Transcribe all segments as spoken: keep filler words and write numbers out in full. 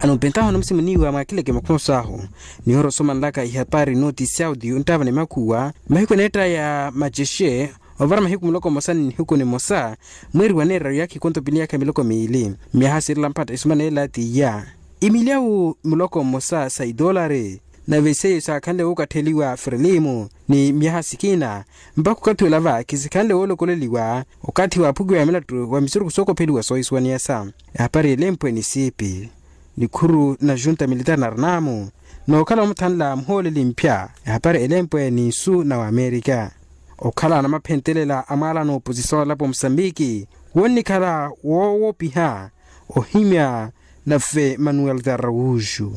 Nompentaho namusimuniwa mwakhileke makhoso ahu, nihora osomanlaka ihapari noti saudi onttaava ni makhuwa mahiku eneetta ya macexe, ovara mahiku muloko mmosa ni nihiku nimosa, mweeri wa neeraru yaakha ikonto pili yaakha miloko miili. Myaha siirela mphatta esumana ela t'iya, imilyawu muloko mmosa sa itolari, nave seiyo saakhanle wookatteliwa frilimu ni myaha sikina, mpakha okathi olava khisikhanle woolokoleliwa okathi waaphukiwa ya milattu wa misurukhu sookopheliwa soohisuwaniyasa. Ehapari elempwe ni siipi nikhuru na junta militar na arnamu, nookhala omuthanla muhooleli mphya. Ehapari elempwe ni nsu na wamerika. Okhala namaphentelela a mwaala n'oposisyon olapo musambiki, wonnikhala woowopiha ohimya nave manuel tarrawuxu.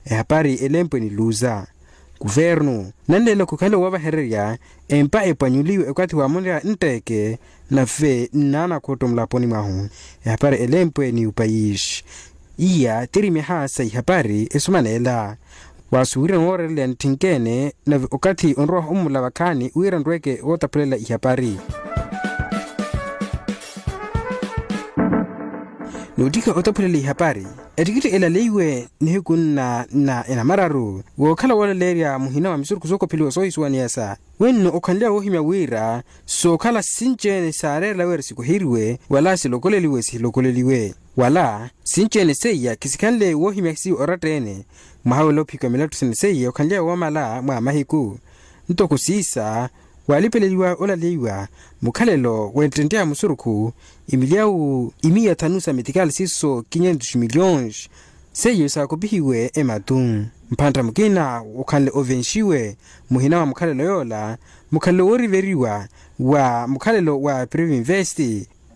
Ehapari elempwe ni luza. Kuvernu nanleela khukhale woovahererya empa epwanyuliwe okathi wa murya ntteke nave nnaanakhotto mulaponi mwahu. Ehapari elempwe ni upayixi. Iya tiri myaha sa ihapari esumaneela. Waasuwirana wooreereleya ntthinkene nave okathi onrowaha ommula vakhaani wira nrweke wootaphulela ihapari. Noottikha otaphulela ihapari, ettikitthi elaleiwe nihiku nna na enamararu wookhala woolaleerya muhina wa misurukhu sookopheliwa soohisuwaniyasa. Wenno okhanly'awe woohimya wira sookhala sinci-ene saareerela wira sikoheriwe wala silokoleliwe sihilokoleliwe, wala sinci-ene seiya khisikhanle woohimya siyo oratta-ene. Mwaha wela ophikiwa milattu sene seiya okhanly'awe woomala mwa mahiku. Ntoko siisa waalipeleliwa olaleiwa mukhalelo wettentte ya musurukhu, imilyawu imiya thanu sa metikali siiso kinyentus miliyons seiyo saakopihiwe ematu. Mphantta mukina okhanle ovenxiwe muhina wa mukhalelo yoola, mukhalelo wooriveriwa wa mukhalelo wa prive invest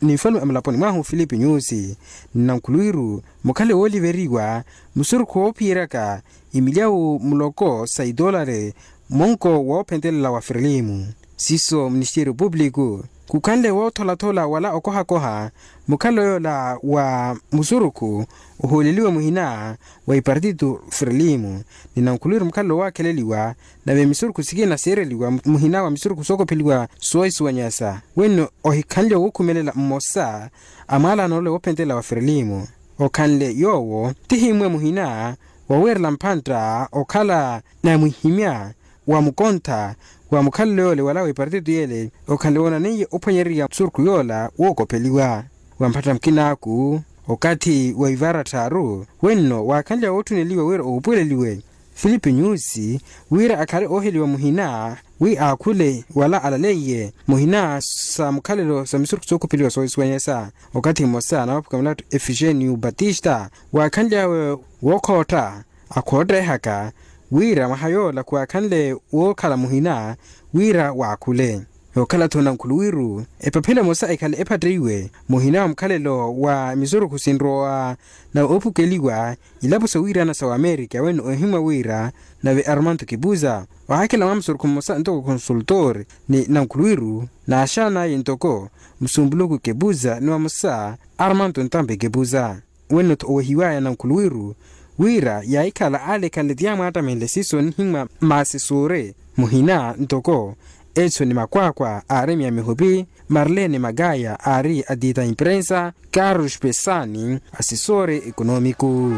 ni nfalume a mulaponi mwahu filipe nyusi. Nnankhuluwiru mukhalelo wooliveriwa musurukhu woophiyeryaka imilyawu muloko sa itolari monko woophentelela wa frilimu. Siiso ministeriyo pupiliku khukhanle wootholathola wala okohakoha mukhalelo yoola wa musurukhu ohooleliwe muhina wa ipartito frilimu. Ni nankhuluwiru mukhalelo woowakheleliwa nave misurukhu sikina siireliwa muhina wa misurukhu sookopheliwa soohisuwanyasa. Wenno ohikhanle wookhumelela mmosa a mwaalaano ole woophentelela wa frilimu. Okhanle yoowo tihimmwe muhina wawiirela mphantta okhala namwihimya wa mukontha wa mukhalelo yoole wala wa ipartito yeele okhanle woonaneiye ophwanyererya musurukhu yoola wookopheliwa. Wa mphatta mukinaaku okathi wa ivara tthaaru wenno waakhanlya wootthuneliwa wira oopweleliwe filipe nyusi wira akhale ooheliwa muhina wi aakhule wala alaleiye muhina sa mukhalelo sa misurukhu sookopheliwa soohisuwanyasa. Okathi mmosa na waphuka milattu efigênio batista waakhanly'awe wookhootta akhoottehaka wira mwaha yoola khuwaakhanle wookhala muhina wira waakhule. Yookhala-tho nankhuluwiru epaphelo emosa ekhale ephatteiwe muhina wa mukhalelo wa misurukhu sinrowa na oophukeliwa ilapo sawiirana sa wamerika wene ohimmwa wira nave armando kepuza waakhela mwa musurukhu mmosa ntoko consultor ni nankhuluwiru naaxan'aya ntoko musumpuluku kepuza ni vamosa armando ntampe kepuza. Wene-tho owehiwaya nankhuluwiru wira yaahikhala ale ekhanle ti yaamwaattamenle siiso nihimmwa maasesore muhina ntoko etso ni makwaakwa aari mya mihupi marlene makaya aari atita imprensa carlos pesani asesore ekonoomiku.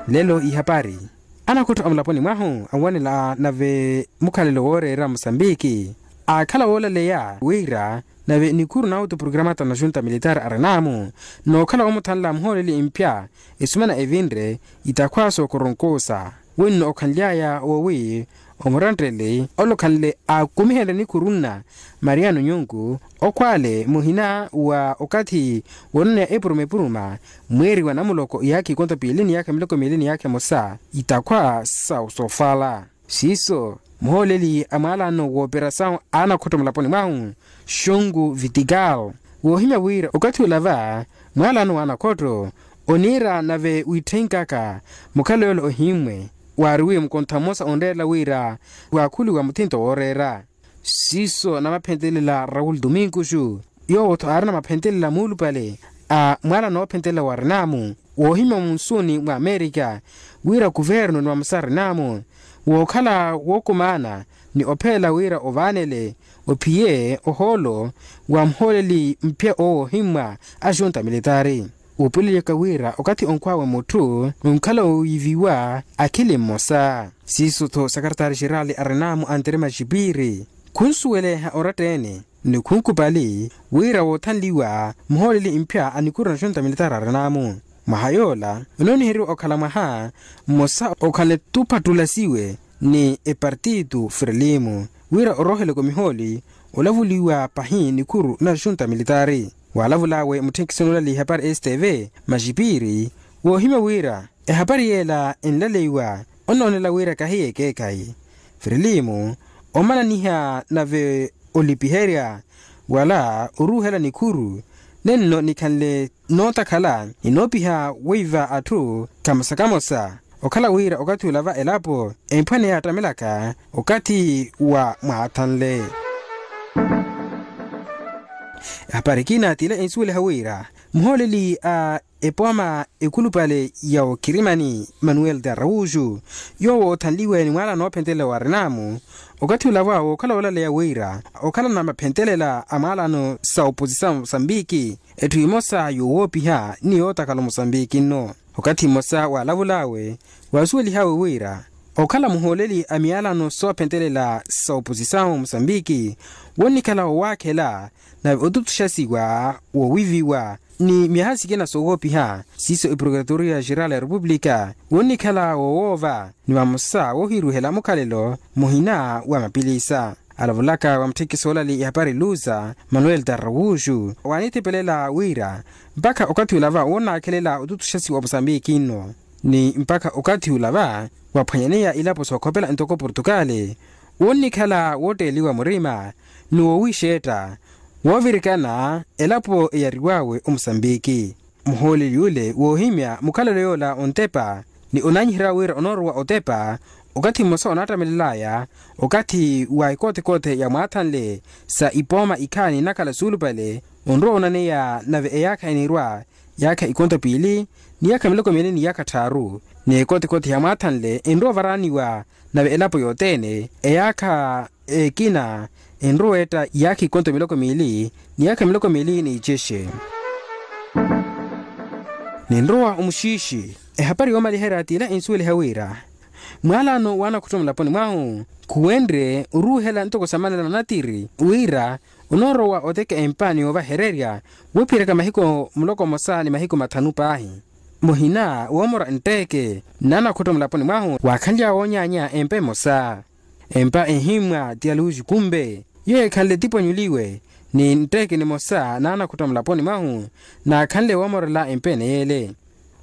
Lelo ihapari anakhottho a mulaponi mwahu anwanela nave mukhalelo wooreera musambiki aakhala woolaleya wira nave nikhuru na autoprogramata na junta militar arinaamu nookhala woomuthanla muhooleli mphya esumana evinre itakhwa sookoronkosa. Wenno okhanly'aya wowi omurantteli ole okhanle aakumihenrye nikhuru nna mariano nyunku okhwale muhina wa okathi woonaneya epuruma epuruma mweeri wa namuloko iyaakha ikonto piili ni yaakha miloko miili ni yaakha emosa itakhwa sa soofala. Siiso muhooleli a mwaalaano wooperasau a anakhottho mulaponi mwahu xongu vitikal woohimya wira okathi olava mwaalaano wa anakhottho oniira nave wiitthenkaaka mukhalelo yoola ohimmwe waariwiye mukontha mmosa onreerela wira waakhuliwa muthinto wooreera. Siiso namaphentelela raul domingoxu yoowo-tho aarina maphentelela muulupale a mwaala noophentelela wa rinamu woohimya munsuuni mwa amerika wira kuvernu ni vamosa rinamu wookhala wookumaana ni ophelela wira ovaanele ophiye ohoolo wa muhooleli mphya owo ohimmwa a junta militari. Woopuleliyaka wira okathi onkhw'awe mutthu onkhala owiiviwa akhili mmosa. Siiso-tho sakaratari xerali arin'amu antere maxipiri khunsuweleha oratta-ene ni khunkupali wira woothanliwa muhooleli mphya a nikhuru na xunta militari arin'amu. Mwaha yoola onooniheriwa okhala mwaha mmosa okhanle tuphattulasiwe ni epartitu frelimu wira orooheleke omihooli olavuliwa pahi nikhuru na xunta militari. Waalavul'awe mutthenkisoni olali ehapari stv maxipiri woohimya wira ehapari yeela enlaleiwa onoonela wira kahiye ekeekhayi. Frelimu omananiha nave olipiherya wala oruuhela nikhuru nenno nikhanle nootakhala ni noopiha weiva atthu kamosa kamosa. Okhala wira okathi ula va elapo emphwaneya yattamelaka okathi wa mwaathanle. Ehapari ekina t'ila ensuweliha wira muhooleli a epooma ekhulupale ya okirimani manuel de araújo yoowo oothanliwe ni mwaala noophentelela wa renamu okathi ula va wookhala woolaleya wira okhala na maphentelela a mwaalano sa oposisawu mosambiki etthu emosa yowoopiha ni yootakhala omosambiki nno. Okathi mmosa waalavul'awe waasuwelih'awe wira okhala muhooleli a miyalano soophentelela sa oposisawu mosambiki wonnikhala wowaakhela nave otutuxasiwa wowiviwa ni myaha sikina sowoopiha siiso eprokuratoria xeral ya repupulika wonnikhala wowoova ni vamosa woohiruhela mukhalelo muhina wa mapilisa. Alavulaka wa mutthekiso olali ehapari luza manuel tarrawuxu waanithepelela wira mpakha okathi ula va wonnaakhelela otutuxasiwa omusambiki nno ni mpakha okathi ula va waphwanyaneya ilapo sookhopela ntoko portukali wonnikhala wootteeliwa murima ni woowixeetta woovirikana elapo eyariw'awe omusambiki. Muhooleli yule woohimya mukhalelo yoola ontepa ni onaanyiherya wira onoorowa otepa okathi mmosa onaattamelel'aya okathi wa ekootekoote ya mwaathanle sa ipooma ikhaani nnakhala suulupale onrowa onaneya nave eyaakha eniirwa yaakha ikonto piili ni yaakha miloko miili ni yaakha tthaaru ni ekootekoote ya mwaathanle enrowa ovaraaniwa nave elapo yothene eyaakha ekina enrowa etta yaakha ikonto miloko miili ni yaakha miloko miili ni icexe. Ninrowa omuxiixi ehapari yoomaliherya t'ila ensuweliha wira mwaalano w'anakhutto mulaponi mwahu khuwenrye oruuhela ntoko samanela na natiri wira onoorowa oteka empa ni yoovahererya woophiyeraka mahiku muloko mmosa ni mahiku mathanu paahi muhina woomora ntteke n'anakhutto mulaponi mwahu waakhanly'awe woonyaanya empa emosa. Empa ehimmwa ti aluwi xikumbe yo ekhanle tipwanyuliwe ni ntteke nimosa n'anakhutto mulaponi mwahu naakhanle woomorela empa ene yeele.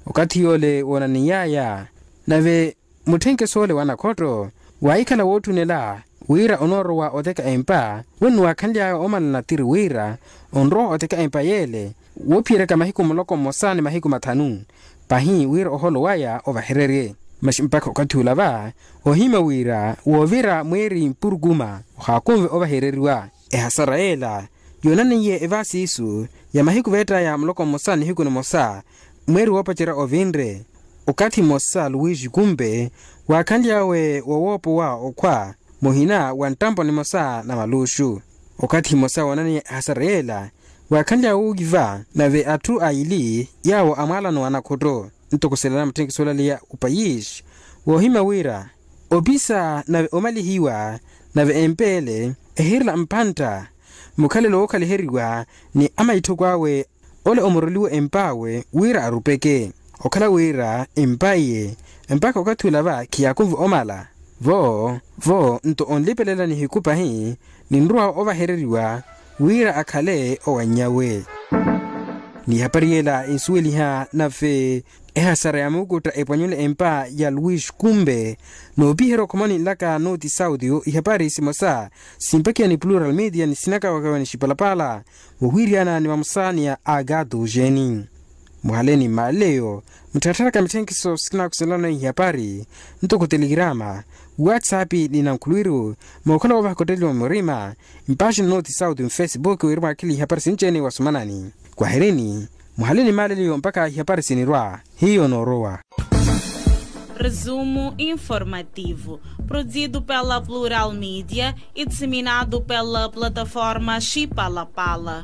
Okathi yoole woonaniy'aya nave mutthenkeso ole w'anakhotto waahikhala wootthunela wira onoorowa oteka empa wennuwaakhanly'aya oomala natiri wira onrowa oteka empa yeele woophiyeryaka mahiku muloko mmosa ni mahiku mathanu pahi wira oholo waya ovahererye. Masi mpakha okathi ula va ohimya wira woovira mweeri mpurukuma ohaakunve ovahereriwa. Ehasara yeela yoonaneiye evaasi isu ya mahiku veett'aya muloko mmosa nihiku nimosa mweeri woopacerya ovinre okathi mmosa luwisi kumpe waakhanly'awe wowoopowa okhwa muhina wa nttampo nimosa na maluuxu. Okathi mmosa woonaneiye ehasara yeela waakhanly'awe wowiiva nave atthu aili yaawo a mwaalano w'anakhutto ntoko selana mutthenkiso olaleya opayisi woohimya wira opisa nave omalihiwa nave empa ele ehiirela mpantta mukhalelo wookhaliheriwa ni amaitthoko awe ole omoroliwe emp'awe wira arupeke okhala wira empa iye mpakha okathi ula va khiyaakunve omala vo vo nto onlipelela nihiku pahi ninrowa ovahereriwa wira akhale owanny'awe. Ni ihapari yeela ensuweliha nave ehasara ya muukutta epwanyule empa ya luwisi kumpe noopiherya okhomoni nlaka nooti sauti ihapari simosa simpakiya ni plural media ni sinakawakawa ni xipalapala wohwiiryana ni vamosa ni ya agado jeni. Muhale ni mmaaleyo muttharattharaka mitthenkiso sikinakusenlana ihapari ntoko telegirama whatsapp ni nankhulwiru mookhala woovahaka otteliwa murima mpaxi na nooti sauti mfacebook wiri mwaakhile ihapari sinci-ene wasomanani kwaherini. Muhale ni mmaaleyo mpakha ihapari sinirwa hiyo noorowa. Resumo informativo, produzido pela Plural Media e disseminado pela plataforma Chipalapala.